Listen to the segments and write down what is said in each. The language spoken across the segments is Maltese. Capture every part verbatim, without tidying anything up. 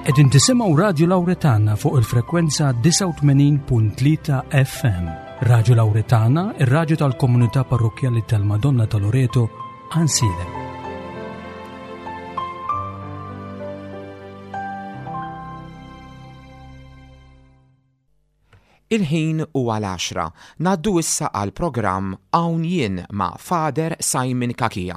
Qegħdin tisimgħu Radio Lauretana fuq il-frekwenza disgħa u tmenin punt tlieta F M. Radio Lauretana, ir-radju tal-komunità parrokkjali tal-Madonna ta' Loreto, Għajnsielem. Il-ħin huwa l-għaxra. Ngħaddu issa għal programm Hawn Jien ma' Father Simon Cachia.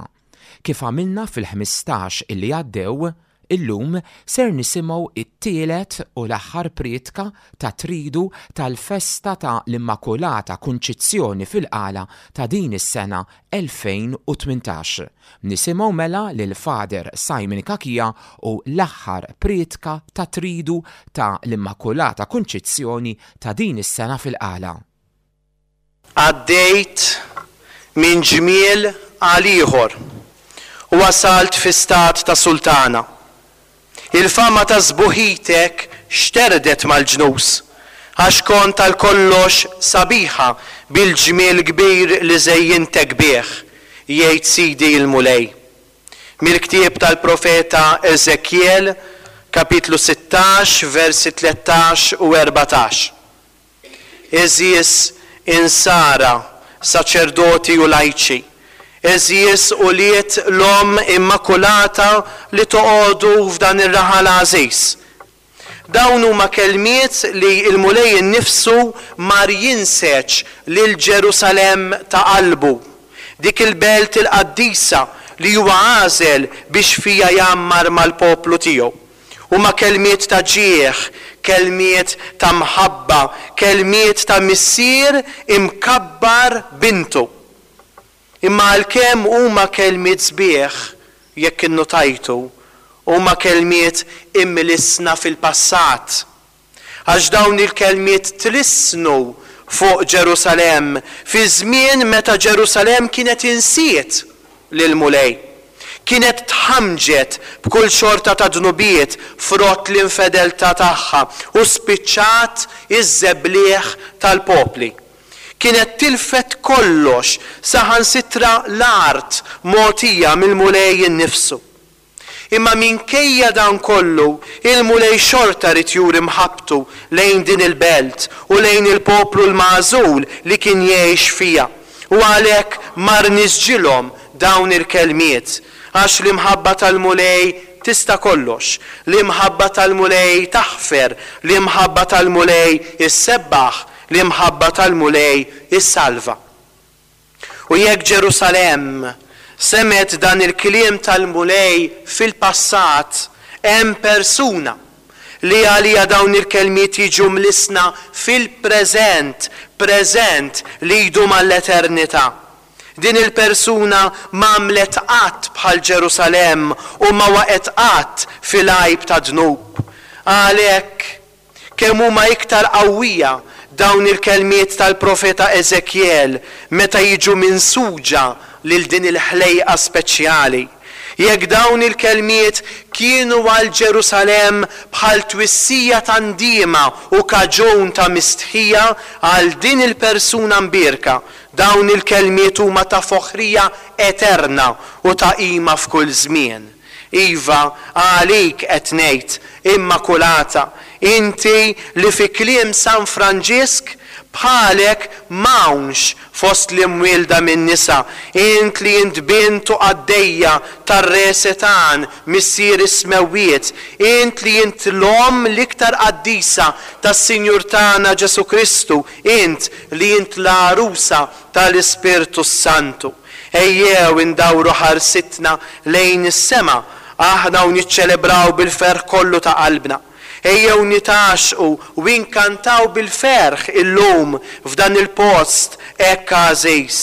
Kif għamilna fil-ħmistax illi għaddew, illum ser nisimgħu it-tielet u l-aħħar prietka ta' tridu tal-festa ta' l-Immakulata Kunċizzjoni fil-Qala ta' din is-sena elfejn u tmintax. Nisimgħu mela lil Father Simon Cachia u l-aħħar prietka ta' tridu ta' l-Immakulata Kunċizzjoni ta' din is-sena fil-Qala. Għaddejt minn ġmiel għal ieħor u wasalt fi stat ta' sultana. Il-fama ta' sbuħitek xterdet mal-ġnus, għax kont għal kollox sabiħa bil-ġmiel kbir li żejjintek bih, jgħid Sidi il-Mulej. Mill-ktieb tal-profeta Ezekiel, kapitlu sittax, versi tlettax u erbatax. Għeżież insara, saċerdoti u lajċi, għeżież ulied l-Omm Immakulata li toqogħdu f'dan ir-raħal għażiż. Dawn huma kelmiet li l-Mulej innifsu mar jinseġ lil Ġerusalemm ta' qalbu, dik il-belt il-qaddisa li huwa għażel biex fija jgħammar mal-poplu tiegħu. Huma kelmiet ta' ġieħ, kelmiet ta' mħabba, kelmiet ta' missier imkabbar bintu. Imma għalkemm huma kelmiet sbieħ, jekk innotajtu, huma kelmiet imlisna fil-passat. Għax dawn il-kelmiet tlisnu fuq Ġerusalemm fi żmien meta Ġerusalemm kienet insiet lil Mulej. Kienet tħamġet b'kull xorta ta' dnubiet frott l-infedeltà tagħha u spiċċat iż-żebliħ tal-popli. Kienet tilfet kollox saħansitra l-art mogħtija mill-Mulej innifsu. Imma minkejja dan kollu, il-Mulej xorta rid juri mħabbtu lejn din il-belt u lejn il-poplu l-magħżul li kien jgħix fija. U għalhekk mar nisġilhom dawn il-kelmiet, għax l-imħabba tal-Mulej tista' kollox, l-imħabba tal-Mulej taħfer, l-imħabba tal-Mulej issebbaħ, l-imħabba tal-Mulej issalva. U jekk Ġerusalemm semet dan il-kliem tal-Mulej fil-passat, hemm persuna li għalija dawn il-kelmiet jiġu mlisna fil-preżent, preżent li jdum għall-eternità. Din il-persuna m'għamlet qatt bħal Ġerusalemm u ma waqgħet qatt fil-għajb ta' dnub. Għalhekk kemm huma iktar qawwija dawn il-kelmiet tal-profeta Ezekiel meta jiġu minsuġa lil din il-ħlejqa speċjali. Jekk dawn il-kelmiet kienu għal Ġerusalemm bħal twissija ta' ndiema u kaġun ta' mistħija għal din il-persuna mbierka, dawn il-kelmiet huma ta' foħrija eterna u ta' qima f'kull żmien. Iva, għalik qed ngħid, Immakulata, inti li fi kliem San Franġisk bħalek m'hawnx fost l-imwielda minn nisa, int li int bint u qaddejja tar-Re Setan, missier is-smewwiet, int li int l-omm l-iktar qaddisa tas-Sinjur tagħna Ġesu Kristu, int li int l-għarusa tal-Ispirtu Santu. Ejjew indawru ħarsitna lejn is-sema, aħna u niċċelebraw bil-ferħ kollu ta' qalbna. Ejjew nitaxqu u inkantaw bil-ferħ illum f'dan il-post hekk għażiż.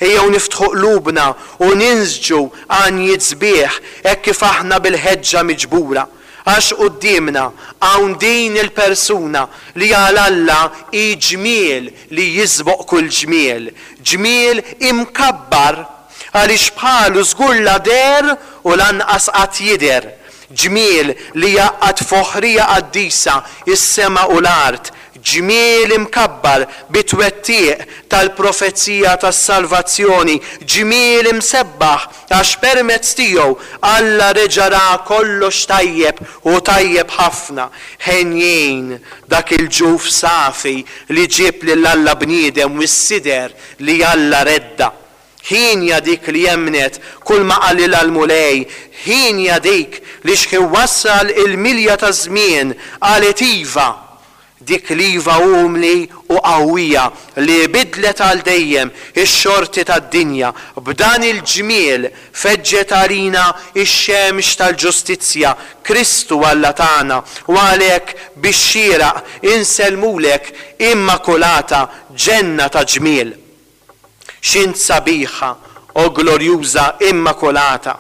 Ejjew niftħu qlubna u ninsġu għanjiet sbieħ hekk kif aħna bil-ħeġġa miġbura. Għax quddiemna hawn din il-persuna li għal Alla hi ġmiel li jisboq kull ġmiel, ġmiel imkabbar għaliex bħalu żgur la deher u lanqas qatt jidher, ġmiel li jaqgħad foħrija qaddisa is-sema u l-art, ġmiel imkabbar bit-twettiq tal-profezija tas-salvazzjoni, ġmiel imsebbaħ għax permezz tiegħu Alla reġa' ra kollox tajjeb u tajjeb ħafna. Henjin dak il-ġuf safi li ġieb lil Alla bniedem u s-sider li Alla redda. Ħienja dik li emmnet kull ma qalilha l-Mulej, ħienja dik li x'ħin wassal il-milja taż-żmien qalet iva, dik l-iva umli u qawwija li bidlet għal dejjem ix-xorti tad-dinja. B'dan il-ġmiel feġġet għalina x-xemx tal-ġustizzja, Kristu Alla tagħna, u għalhekk bix-xieraq insellmulek Immakulata, ġenna ta' ġmiel. X'int sabiħa, o glorjuża Immakulata,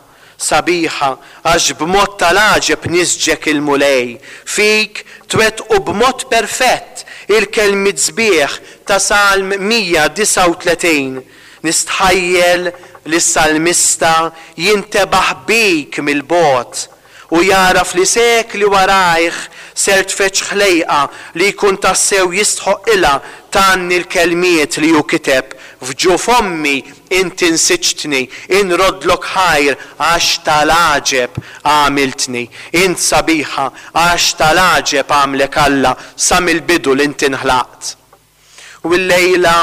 sabiħa għax b'mod tal-għaġeb nisġek il-Mulej, fik twettqu b'mod perfett il-kelmiet sbieħ ta' Salm mija disgħa u tletin. Nistħajjel li s-salmista jintebaħ bik mill-bogħod u jagħraf li sekli warajh ser tfeġġ ħlejqa li jkun tassew jistħoqqilha tgħanni l-kelmiet li hu kiteb. F'ġuf ommi inti nsiġtni, inroddlok ħajr għax tal-għaġeb għamiltni. Int sabiħa għax tal-għaġeb għamlek Alla sa mill-bidu li inti nħlaqt. U llejla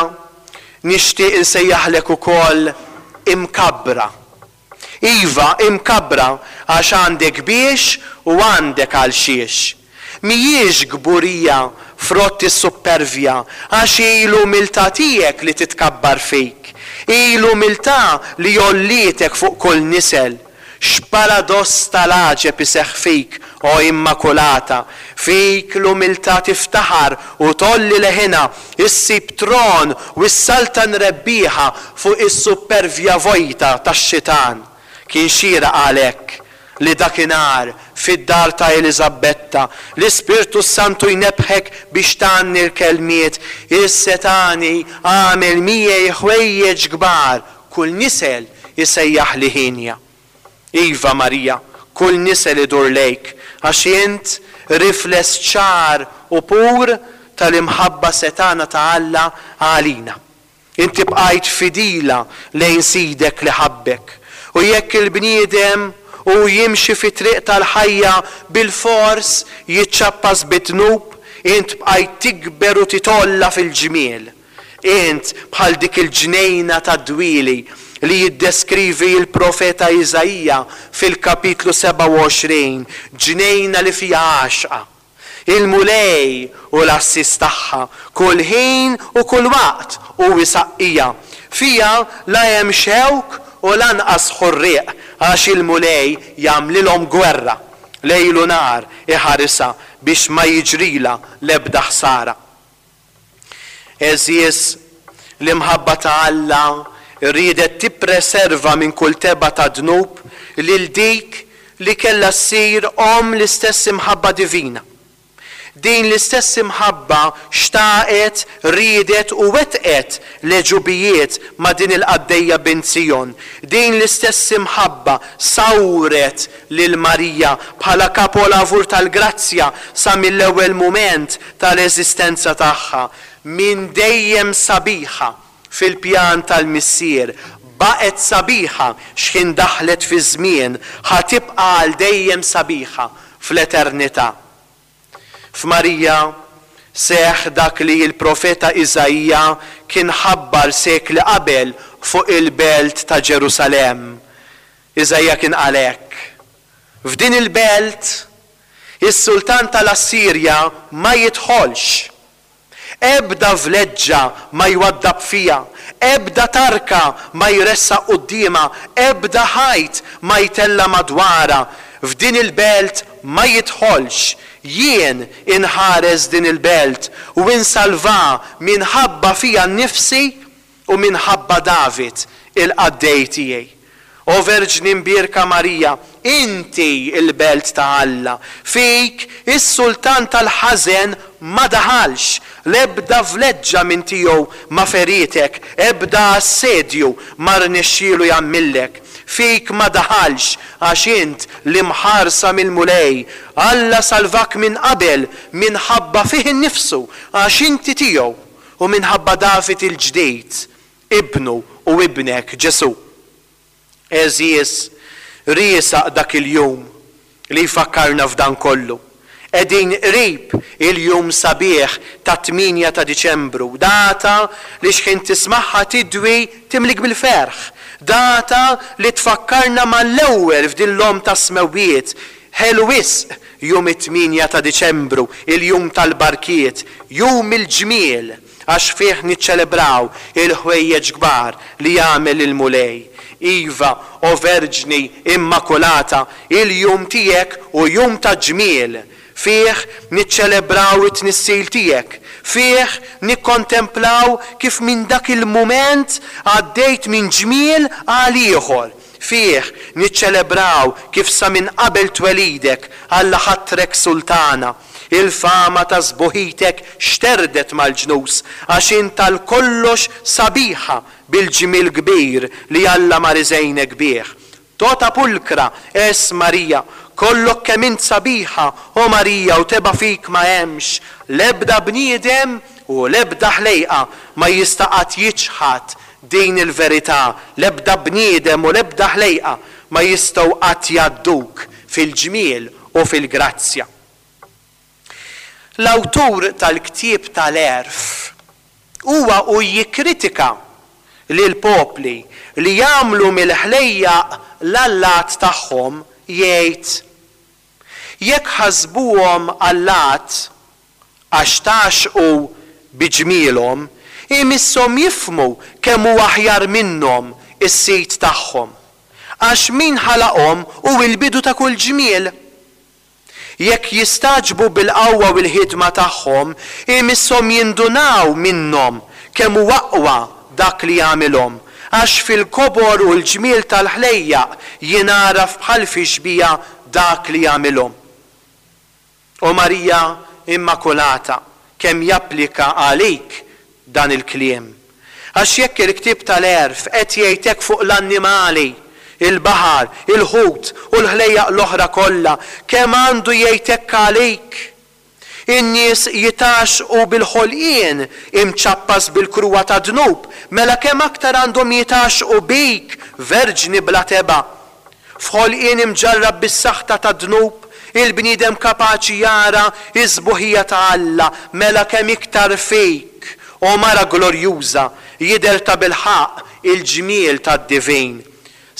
nixtieq insejjaħlek ukoll imkabbra. Iva, imkabbra għax għandek biex u għandek għal xiex. Mhijiex kburija frott is-suppervja, għax hi l-umiltà tiegħek li titkabbar fik. Hi l-umiltà li għollietek fuq kull nisel. X'paradoss tal-għaġeb iseħħ fik, o Immakulata! Fik l-umiltà tiftaħar u tgħolli leħinha, issib tron u s-saltan rebbieħa fuq is-suppervja vojta tax-xitan. Kien xieraq għalhekk li dakinhar fid-dar ta' Eliżabetta, l-Ispirtu s-Santu jnebbħek biex tgħanni l-kelmiet, Is-setgħani għamel miegħi ħwejjeġ kbar, kull nisel isejjaħli ħienja. Iva, Marija, kull nisel idur lejk, għax int rifless ċar u pur tal-imħabba setgħana ta' Alla għalina. Inti bqajt fidila lejn Sidek li ħabbek. U jekk il-bniedem u jimxi fi triq tal-ħajja bil-fors jiċċappas bid-dnub, int bqajt tikber u titolla fil-ġmiel. Int bħal dik il-ġnejna tad-dwieli li jiddeskrivi l-profeta Iżaija fil-kapitlu sebgħa u għoxrin, ġnejna li fiha għaxqa. Il-Mulej u l-għassies tagħha, kull ħin u kull waqt hu isaqqija. Fiha la hemm xewk u lanqas ħurrieq, għax il-Mulej jagħmlilhom gwerra, lejl u nhar iħarisha biex ma jiġrilha l-ebda ħsara. Għeżież, l-imħabba ta' Alla riedet tippreserva minn kull tebgħa ta' dnub lil dik li kellha ssir omm l-istess imħabba divina. Din l-istess imħabba xtaqet, riedet u wettqet l-għeġubijiet ma' din il-qaddejja bint Sijon. Din l-istess imħabba sawret lil Marija bħala kapolavur tal-grazzja sa mill-ewwel mument tal-eżistenza tagħha. Minn dejjem sabiħa fil-pjan tal-Missier, baqgħet sabiħa x'ħin daħlet fiż-żmien, ħa tibqa' għal dejjem sabiħa fl-eternità. F'Marija seħħ dak li l-profeta Iżaija kien ħabbar sekli qabel fuq il-belt ta' Ġerusalemm. Iżaija kien qal hekk, F'din il-belt is-sultan tal-Assirja ma jidħolx. Ebda vleġġa ma jwaddab fiha, ebda tarka ma jressaq quddiemha, ebda ħajt ma jtella' madwarha. F'din il-belt ma jidħolx. Jien inħares din il-belt u insalvaha minħabba fija nnifsi u minħabba David, il-qaddej tiegħi. O Verġni Mbierka Marija, inti l-belt ta' Alla. Fik is-sultan tal-ħażen ma daħalx, l-ebda vleġġa minn tiegħu ma ferietek, ebda assedju ma rnexxielu jagħmillek. Fik ma daħalx, għax int l-imħarsa mill-Mulej, Alla salvak minn qabel minħabba fih innifsu, għax inti tiegħu, u minħabba David il-ġdid, ibnu u ibnek Ġesù. Għeżież, riesaq dak il-jum li jfakkarna f'dan kollu. Qegħdin qrib il-jum sabiħ tat-tmienja ta' Diċembru, data li xħin tismagħha tidwi timlik bil-ferħ, data li tfakkarna mal-ewwel f'din l-Omm tas-Smewwiet. Ħelu wisq jum it-tmienja ta' Diċembru, il-jum tal-barkiet, jum il-ġmiel, għax fih niċċelebraw il-ħwejjeġ kbar li għamel il-Mulej. Iva, o Verġni Immakulata, il-jum tiegħek hu jum ta' ġmiel. Fih niċċelebraw it-tnissil tiegħek. Fih nikkontemplaw kif minn dak il-mument għaddejt minn ġmiel għal ieħor. Fih niċċelebraw kif sa minn qabel twelidek Alla ħatrek sultana. Il-fama ta' sbuħitek xterdet mal-ġnus, għax int għal kollox sabiħa bil-ġmiel kbir li Alla mar iżejnek bih. Tota pulcra es Maria, kollok kemm int sabiħa, o Marija, u tebgħa fik ma hemmx. L-ebda bniedem u l-ebda ħlejqa ma jista' qatt jiċħad din il-verità, l-ebda bniedem u l-ebda ħlejqa ma jistgħu qatt jgħadduk fil-ġmiel u fil-grazzja. L-awtur tal-ktieb tal-Għerf huwa u jikkritika lill-popli li jagħmlu mill-ħlejjaq l-allat tagħhom jgħid, jekk ħasbuhom allat għax tgħaxxqu bi ġmielhom, imisshom jifhmu kemm hu aħjar minnhom is-Sid tagħhom, għax min ħalaqhom hu l-bidu ta' kull ġmiel. Jekk jistagħġbu bil-qawwa u l-ħidma tagħhom, imisshom jindunaw minnhom kemm hu aqwa dak li jagħmilhom, għax fil-kobor u l-ġmiel tal-ħlejjaq jingħaraf bħal fi xbieha dak li jagħmilhom. O Marija Immakulata, kemm japplika għalik dan il-kliem! Għax jekk il-ktieb tal-Għerf qed jgħid hekk fuq l-annimali, il-baħar, il-ħut u l-ħlejjaq l-oħra kollha, kemm għandu jgħid hekk għalik? In-nies jitgħaxxqu bil-ħolqien imċappas bil-kruha tad-dnub, mela kemm aktar għandhom jitgħaxxqu bik, Verġni bla tebgħa. F'ħolqien imġarrab bis-saħta tad-dnub, il-bniedem kapaċi jara s-sbuħija ta' Alla, mela kemm iktar fik, o mara glorjuża, jidher tabilħaqq il-ġmiel tad-divin.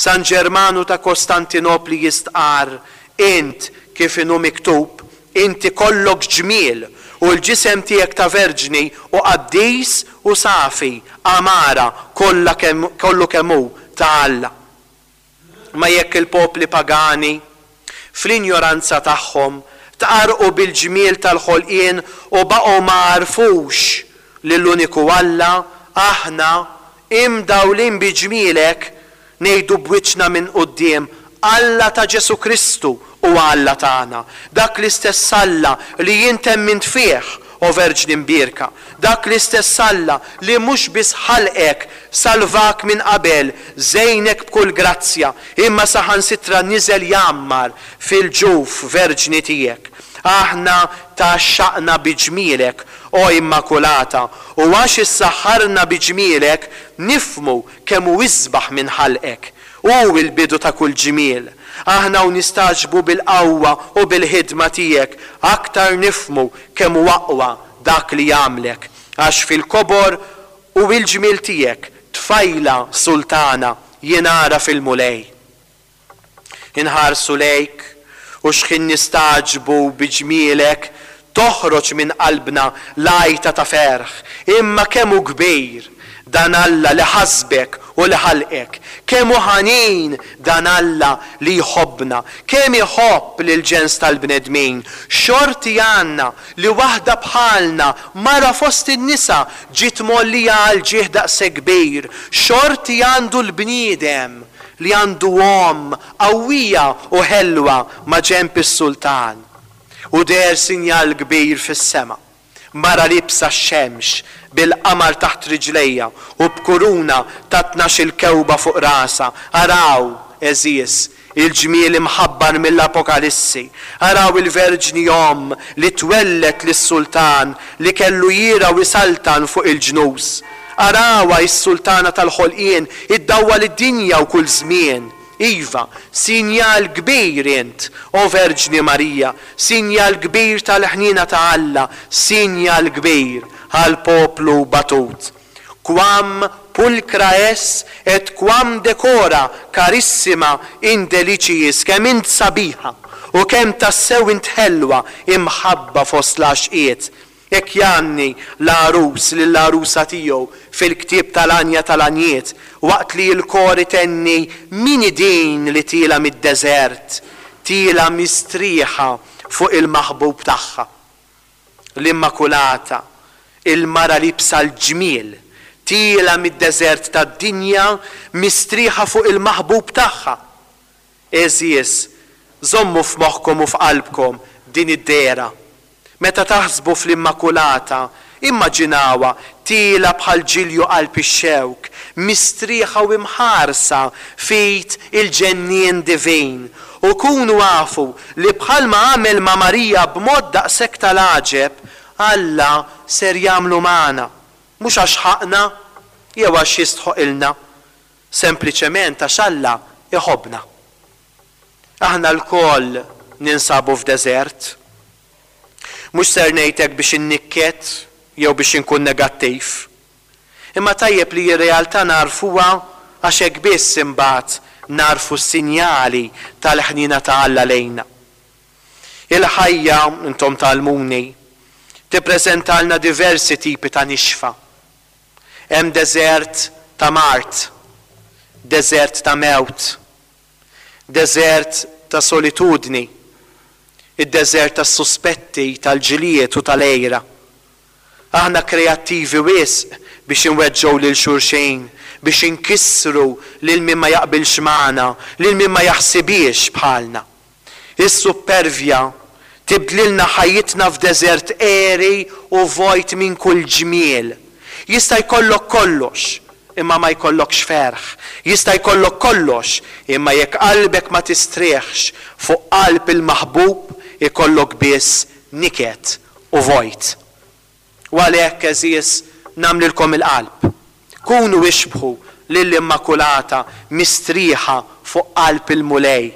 San Ġermanu ta' Kostantinopli jistqarr, Int, kif inhu miktub, inti kollok ġmiel, u l-ġisem tiegħek ta' verġni u qaddis u safi, għamara kollha kemm kollu kemm hu ta' Alla. Ma jekk il-popli pagani, fl-injoranza tagħhom, tqarrqu bil-ġmiel tal-ħolqien u baqgħu ma għarfux lill-uniku Alla, aħna, imdawlin bi ġmielek, ngħidu b'wiċċna minn quddiem, Alla ta' Ġesù Kristu huwa Alla tagħna, dak l-istess Alla li int emmint fih, o Verġni Mbierka, dak l-istess Alla li mhux biss ħalqek, salvak minn qabel, żejnek b'kull grazzja, imma saħansitra niżel jgħammar fil-ġuf verġni tiegħek. Aħna tgħaxxaqna bi ġmielek, o Immakulata, u għax issaħħarna bi ġmielek, nifhmu kemm hu isbaħ minn ħalqek. Hu l-bidu ta' kull ġmiel. Aħna u nistagħġbu bil-qawwa u bil-ħidma tiegħek, aktar nifhmu kemm hu aqwa dak li għamlek, għax fil-kobor u l-ġmiel tiegħek, tfajla sultana, jingħaraf il-Mulej. Inħarsu lejk u x'ħin nistagħġbu bi ġmielek, toħroġ minn qalbna l-għajta ta' ferħ, imma kemm hu kbir dan Alla li ħasbek u li ħalqek, kemm hu ħanin dan Alla li jħobbna, kemm iħobb lill-ġens tal-bnedmin. Xorti għandna li waħda bħalna, mara fost in-nisa, ġiet mgħollija għal ġieħ daqshekk kbir. Xorti għandu l-bniedem li għandu omm qawwija u ħelwa ma' ġenb is-sultan. U deher sinjal kbir fis-sema, mara liebsa x-xemx, bil-qamar taħt riġlejha u b'kuruna ta' tnax-il kewba fuq rasha. Araw, għeżież, Il-ġmiel imħabbar mill-Apokalissi. Araw il-Verġni Omm li twelled lis-Sultan li kellu jirgħa u jsaltan fuq il-ġnus. Arawha s-Sultana tal-ħolqien iddawwal id-dinja u kull żmien. Iva, sinjal kbir int, o Verġni Marija, sinjal kbir tal-ħniena ta' Alla, sinjal kbir għall-poplu batut. Quam pulcra es et quam decora carissima in deliciis, kemm int sabiħa u kemm tassew int ħelwa imħabba fost l-għaxqiet. Hekk jgħanni l-għarus lill-għarusa tiegħu fil-ktieb tal-Għanja tal-Għanjiet, waqt li l-kor itenni min hi din li tiela mid-deżert, tiela mistrieħa fuq il-maħbub tagħha. L-Immakulata, il-mara liebsa l-ġmiel, tiela mid-deżert tad-dinja mistrieħa fuq il-maħbub tagħha. Għeżież, żommu f'moħħkom u f'qalbkom din id-dehra. Meta taħsbu fl-Immakulata, immaġinawha tiela bħal ġilju qalb ix-xewk, mistrieħa u imħarsa f'id il-ġennien divin. U kunu afu li bħalma għamel ma' Marija b'mod daqshekk tal-għaġeb, Alla ser jagħmlu magħna. Mhux għax ħaqna jew għax jistħoqilna, sempliċement għax Alla iħobbna. Aħna lkoll ninsabu f'deżert. Mhux ser ngħid hekk biex innikket jew biex inkun negattiv. Imma tajjeb li r-realtà narfuha għax hekk biss imbagħad narfu s-sinjali tal-ħniena ta' Alla lejna. Il-ħajja, intom tgħallmuni, tippreżentalna diversi tipi ta' nixfa. Hemm deżert ta' mard, deżert ta' mewt, deżert ta' solitudni, id-deżert tas-suspetti, tal-ġlied u tal-għira. Aħna kreattivi wisq biex inweġġgħu lil xulxin, biex inkissru lil min ma jaqbilx magħna, lil min ma jaħsibhiex bħalna. Is-suppervja tibdlilna ħajjitna f'deżert għeri u vojt minn kull ġmiel. Jista' jkollok kollox, imma ma jkollokx ferħ. Jista' jkollok kollox, imma jekk qalbek ma tistrieħx fuq qalb il-maħbub, ikollok biss niket u vojt. U għalhekk, għeżież, nagħmlilkom il-qalb. Kunu ixbħu lill-Immakulata mistrieħa fuq qalb il-Mulej.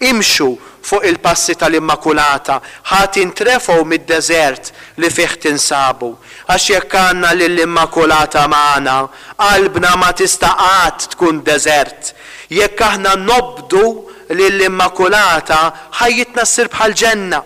Imxu fuq il-passi tal-Immakulata, ħa tintrefgħu mid-deżert li fih tinsabu. Għax jekk għandna lill-Immakulata magħna, qalbna ma tista' qatt tkun deżert. Jekk aħna nobdu lill-Immakulata, ħajjitna ssir bħal ġenna.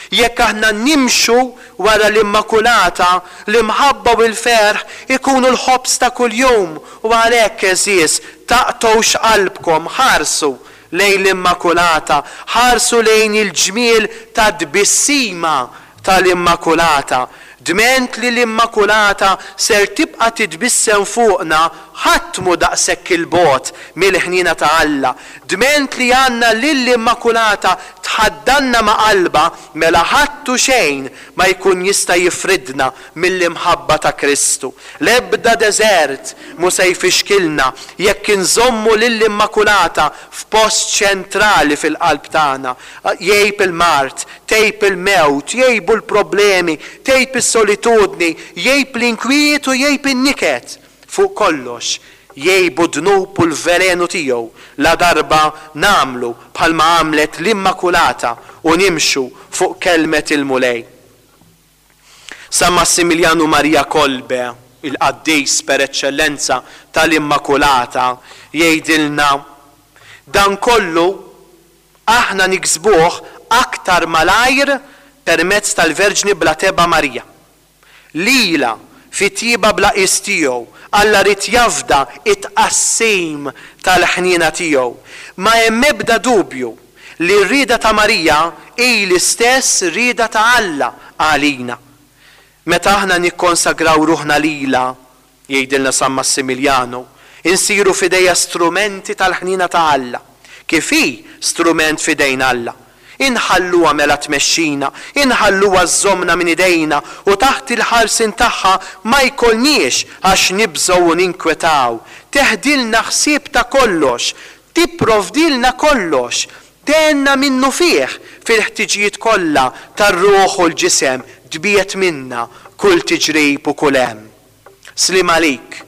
Jekk aħna nimxu wara l-Immakulata, l-imħabba u l-ferħ ikunu l-ħobż ta' kuljum. U għalhekk, għeżież, taqtgħux qalbkom, ħarsu lejn l-Immakulata, ħarsu lejn il-ġmiel ta' tbissima tal-Immakulata. Dment li l-Immakulata ser tibqa' titbissem fuqna, ħadd mhu daqshekk il-bogħod mill-ħniena ta' Alla. Dment li għandna lill-Immakulata tħaddanna ma' qalbha, mela ħadd u xejn ma jkun jista' jifridna mill-imħabba ta' Kristu. L-ebda deżert mhu se jfixkilna jekk inżommu lill-Immakulata f'post ċentrali fil-qalb tagħna. Jgħib il-mard, tgħib il-mewt, jgħibu l-problemi, tgħib is-solitudni, jgħib l-inkwiet u jgħib in-niket. Fuq kollox, jgħibu d-dnub u l-velenu tiegħu la darba nagħmlu bħalma għamlet l-Immakulata u nimxu fuq kelmet il-Mulej. San Massimiljanu Maria Kolbe, il-qaddis per eċċellenza tal-Immakulata, jgħidilna dan kollu aħna niksbuh aktar malajr permezz tal-Verġni bla tebgħa Marija. Lila fit-tjieba bla qies tiegħu, Alla ried jafda it-tqassim tal-ħniena tiegħu. Ma hemm ebda dubju li r-rieda ta' Marija hi l-istess rieda ta' Alla għalina. Meta aħna nikkonsagraw ruħna lilha, jgħidilna San Massimiljanu, insiru f'idejha strumenti tal-ħniena ta' Alla, kif hi strument f'idejn Alla. Inħalluha mela tmexxina, inħalluha żżommna minn idejna u taħt il-ħarsien tagħha ma jkollniex għax nibżgħu u ninkwetaw. Teħdilna ħsieb ta' kollox, Tipprovdilna kollox, tgħinna minnufih fil-ħtiġijiet kollha tar-ruħ u l-ġisem, tbiegħed minna kull tiġrib u kull hemm. Sliem għalik,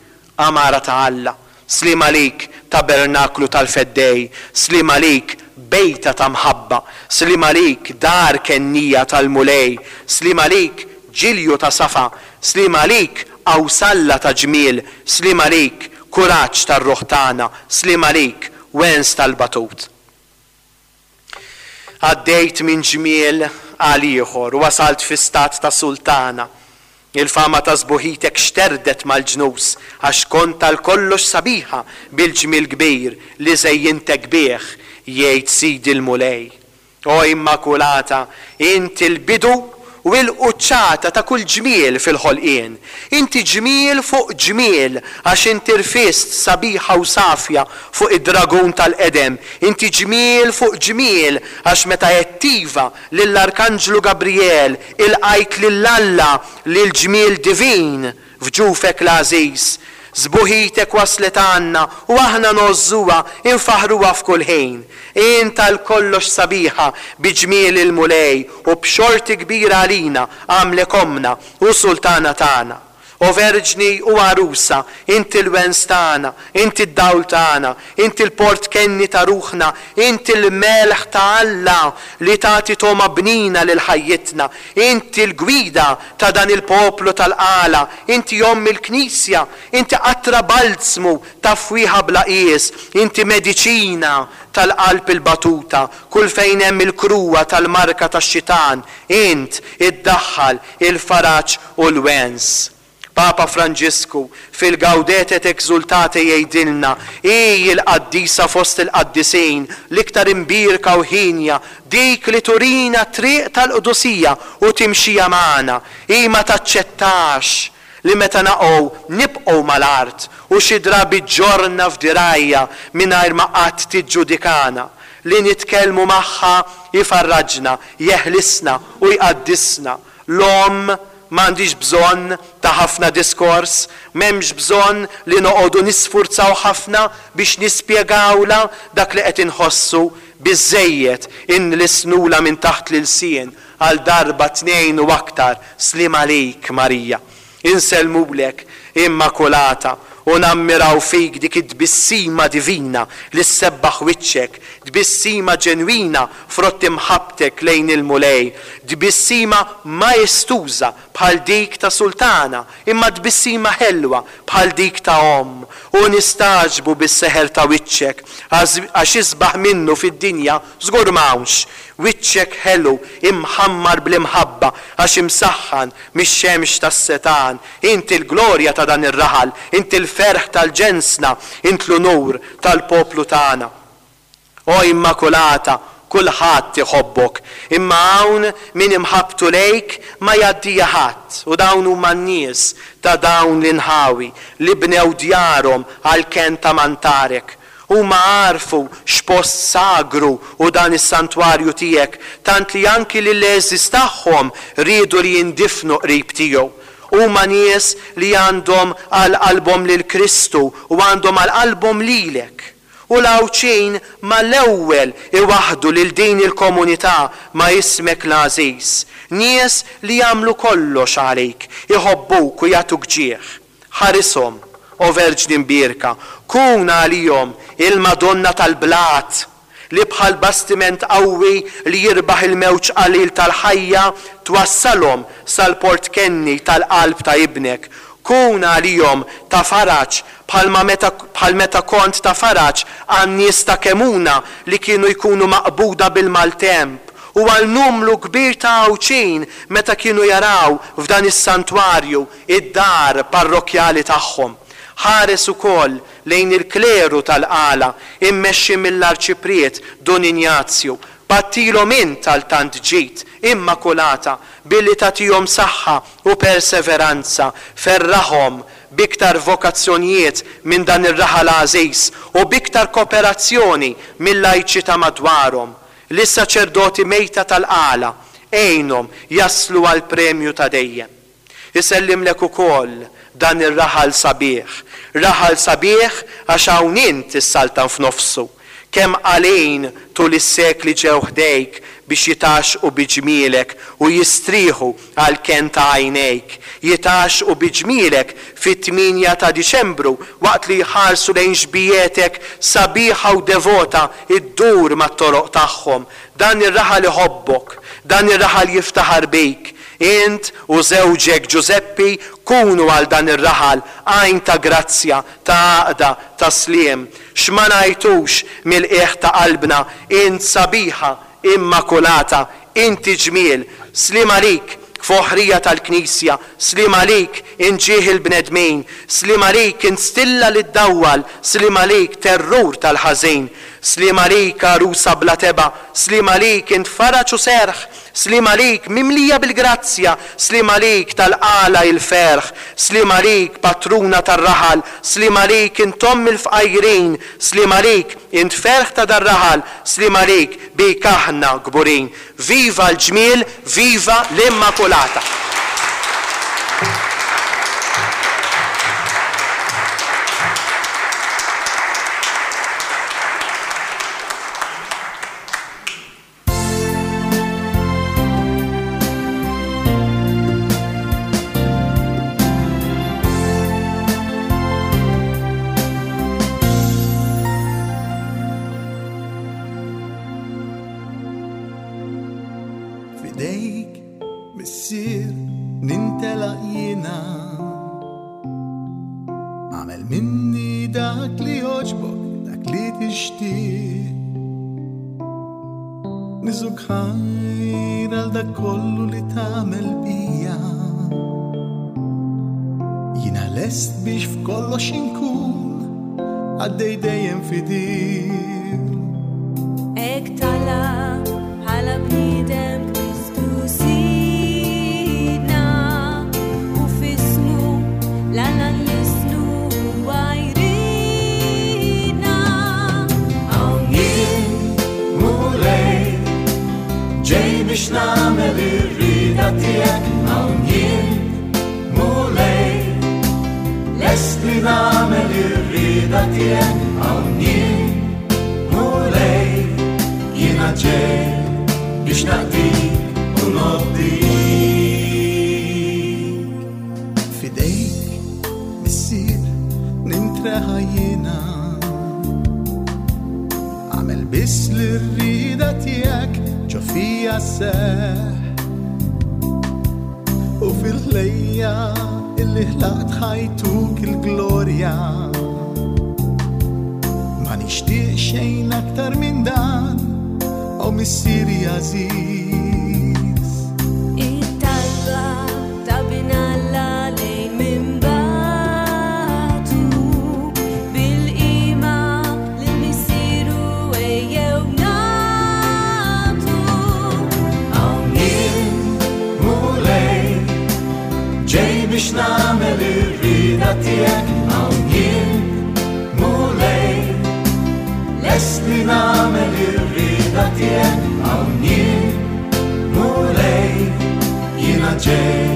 għamara ta' Alla, sliem għalik, tabernaklu tal-Feddej, sliem għalik, bejta ta' mħabba, sliem għalik, dar kennija tal-Mulej, sliem għalik, ġilju ta' safa, sliem għalik, qawsalla ta' ġmiel, sliem għalik, kuraġġ tar-ruħ tagħna, sliem għalik, wens tal-batut. Għaddejt minn ġmiel għal ieħor u wasalt fi stat ta' sultana. Il-fama ta' sbuħitek xterdet mal-ġnus għax kont għal kollox sabiħa bil-ġmiel kbir li żejjintek bih, jgħid Sidi l-Mulej. O Immakulata, inti l-bidu u l-quċċata ta' kull ġmiel fil-ħolqien. Inti ġmiel fuq ġmiel għax inti rfist sabiħa u safja fuq id-dragun tal-qedem. Inti ġmiel fuq ġmiel għax meta għedt iva lill-Arkanġlu Gabriel ilqajt lil Alla lil ġmiel divin f'ġufek l-għażiż. Sbuħitek waslet għandna u aħna ngħożżuha, infaħruha f'kull ħin. Int għal kollox sabiħa bi ġmiel il-Mulej u b'xorti kbira għalina għamlek ommna u sultana tagħna. O Verġni u għarusa, inti l-wens tagħna, inti d-dawl tagħna, inti l-port kenni ta' ruħna, inti l-melħ ta' Alla li tagħti togħma bnina lil ħajjitna, inti l-gwida ta' dan il-poplu tal-Qala, inti omm il-Knisja, inti qatra balzmu ta' fwieħa bla qies, inti mediċina tal-qalb il-batuta, kull fejn hemm il-kruwa tal-marka tax-xitan, int iddaħħal il-faraġ u l-wens. Papa Franġisku fil-Gaudete et Exultate jgħidilna, hi l-qaddisa fost il-qaddisin, l-iktar imbierka u ħienja, dik li turina triq tal-qdusija u timxija magħna. Hi ma taċċettax li meta naqgħu nibqgħu mal-art u xi drabi ġġorrna f'dirgħajha mingħajr ma qatt tiġġudikana. Li nitkellmu magħha jfarraġna, jeħlisna u jqaddisna. L-omm m'għandix bżonn ta' ħafna diskors, m'hemmx bżonn li noqogħdu nisfurzaw ħafna biex nispjegawla dak li qed inħossu, biżżejjed inlissnula minn taħt l-ilsien għal darba tnejn u aktar. Sliem għalik, Marija. Insellmulek, Immakulata, u nammiraw fik dik it-tbissima divina li ssebbaħ wiċċek, tbissima ġenwina frott imħabbtek lejn il-Mulej, tbissima maestuża bħal dik ta' sultana, imma tbissima ħelwa bħal dik ta' omm, u nistagħġbu bis-seħer ta' wiċċek għax isbaħ minnu fid-dinja żgur m'hawnx. Wiċċek ħelu imħammar bl-imħabba għax imsaħħan mix-xemx tas-setan. Inti l-glorja ta' dan ir-raħal, inti l-ferħ tal-ġensna, int l-unur tal-poplu tagħna. O Immakulata, kulħadd iħobbok, imma hawn min imħabbtu lejk ma jgħaddija ħadd, u dawn huma n-nies ta' dawn l-inħawi li bnew djarhom għall-kenn ta' mantarek. Huma għarfu x'post sagru u dan is-santwarju tiegħek, tant li anki lill-għeżież tagħhom riedu li jindifnu qrib tiegħu. Huma nies li għandhom għal qalbhom lil Kristu u għandhom għal qalbhom lilek. U l-Għawdxin mal-ewwel iwaħħdu lil din il-komunità ma' ismek l-għażiż. Nies li jagħmlu kollox għalik, iħobbuk u jagħtuk ġieħ. Ħarishom, o Verġni Mbierka, kun għalihom il-Madonna tal-blat li bħal bastiment qawwi li jirbaħ il-mewġ qalil tal-ħajja twassalhom sal-port kenni tal-qalb ta' ibnek. Kun għalihom ta' faraġ bħalma meta, bħal meta kont ta' faraġ għan-nies ta' Kemuna li kienu jkunu maqbuda bil-maltemp, u għal numru kbir ta' Għawdxin meta kienu jaraw f'dan is-santwarju id-dar parrokkjali tagħhom. Ħares ukoll lejn il-kleru tal-Qala immexxi mill-Arċipriet Dun Injazju. Pattilhom int għal tant ġid, Immakulata, billi tagħtihom saħħa u perseveranza. Ferraħhom b'iktar vokazzjonijiet minn dan ir-raħal għażiż u b'iktar kooperazzjoni mill-lajċi ta' madwarhom. Lis-saċerdoti mejta tal-Qala għinhom jaslu għal premju ta' dejjem. Isellimlek ukoll dan ir-raħal sabiħ. Raħal sabiħ għax hawn int issaltan f'nofsu. Kemm għalin tul is-sekli ġew ħdejk biex jitaxqu biġmielek u jistrieħu għal ken ta' għajnejk. Jitaxqu biġmielek fit-tmienja ta' Diċembru waqt li jħarsu lejn xbietek sabiħa u devota iddur mat-toroq tagħhom. Dan ir-raħal iħobbok, dan ir-raħal jiftaħar bik. Int u żewġek Ġużeppi kunu għal dan ir-raħal għajn ta' grazzja, ta' għaqda, ta' sliem. X'ma ngħidux mill-qiegħ ta' qalbna, int sabiħa, immakulata, inti ġmiel, sliem għalik, foħrija tal-Knisja, sliem għalik, inġieħ il-bnedmin, sliem għalik, instilla li ddawwal, sliem għalik, terrur tal-ħażin, sliem għalik, għarusa bla teba, sliem għalik, int faraġ u serħ, sliem għalik, mimlija bil-grazzja, sliem għalik, tal-qala il-ferħ, sliem għalik, patruna tar-raħal, sliem għalik, int omm il-fqajrin, sliem għalik, int ferħ ta' dar-raħal, sliem għalik, bik aħna kburin. Viva l-ġmiel, viva l-Immakulata! Fidejk, missier, nintelaq jiena. Għamel minni dak li jogħġbok, dak li tixtieq. Niżuk ħajr għal dak kollu li tagħmel bija. Jiena lest biex f'kollox inkun għaddej dejjem fidil. Hekk tala bħala bniedem Kristu Sidna u f'ismu l-Alla nlisnu għajrina. Hawn jien, Mulej, ġej biex nagħmel ir-rieda tiegħek. Hawn jien, Mulej, lest li nagħmel ir-rieda tiegħek. Hawn jien, Mulej, jiena ġej biex naqdik u nobdik. Fidejk, missier, nintreħa jiena. Għamel biss l-rida tiegħek ġo fija seħ. U fil-ħlejja illi ħlaqt ħajtuk il-glorja. Ma nixtieq xejn aktar minn dan, o missieri għażiż. It-talba ta' bin Alla lejn minn bagħtu, bil-qima lil missieru ejjew nagħtu. Hawn jien, Mulej, ġej biex nagħmel ir-rieda tiegħek. Hawn jien, Mulej, lest li nagħmel ir-rieda tiegħek. Hawn jien, Mulej, jiena ġej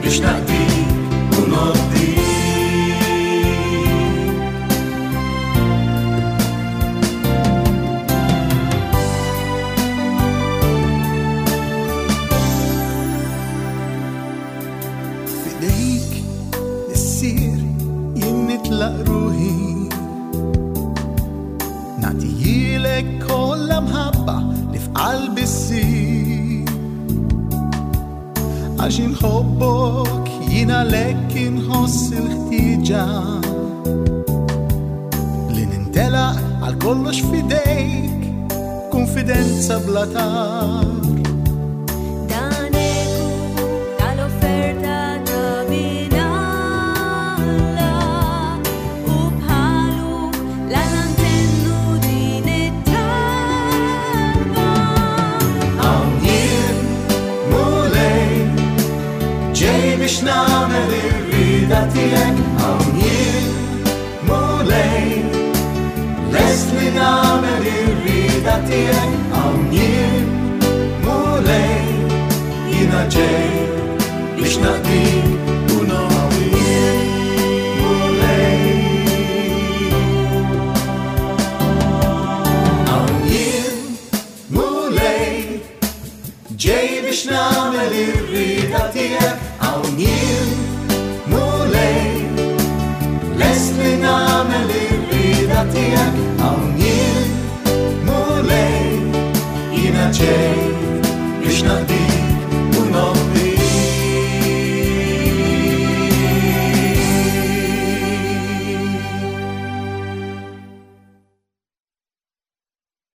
biex naqdik u nobdik. Fidejk, missier, jien nitlaq ruħi. Nagħtihilek kollha mħabba li f'qalbi ssir. Għax inħobbok jien għalhekk inħoss il-ħtieġa li nintelaq għal kollox f'idejk, konfidenza bla tar. Dan eku tal-offerta ta' bin Alla u bħalu l-Alla ntennu din it-talba. Hawn jien, Mulej, ġej biex nagħmel ir-rieda tiegħek. Hawn jien, Mulej, lest li nagħmel ir-rieda tiegħek. Hawn jien, Mulej, jiena ġej biex naqdik u nobdik. Mulej. Biex nagħmel ir-rieda tiegħek. Hawn jien, Mulej, lest li nagħmel ir-rieda tiegħek. Hawn jien, Mulej, jiena ġej biex naqdik.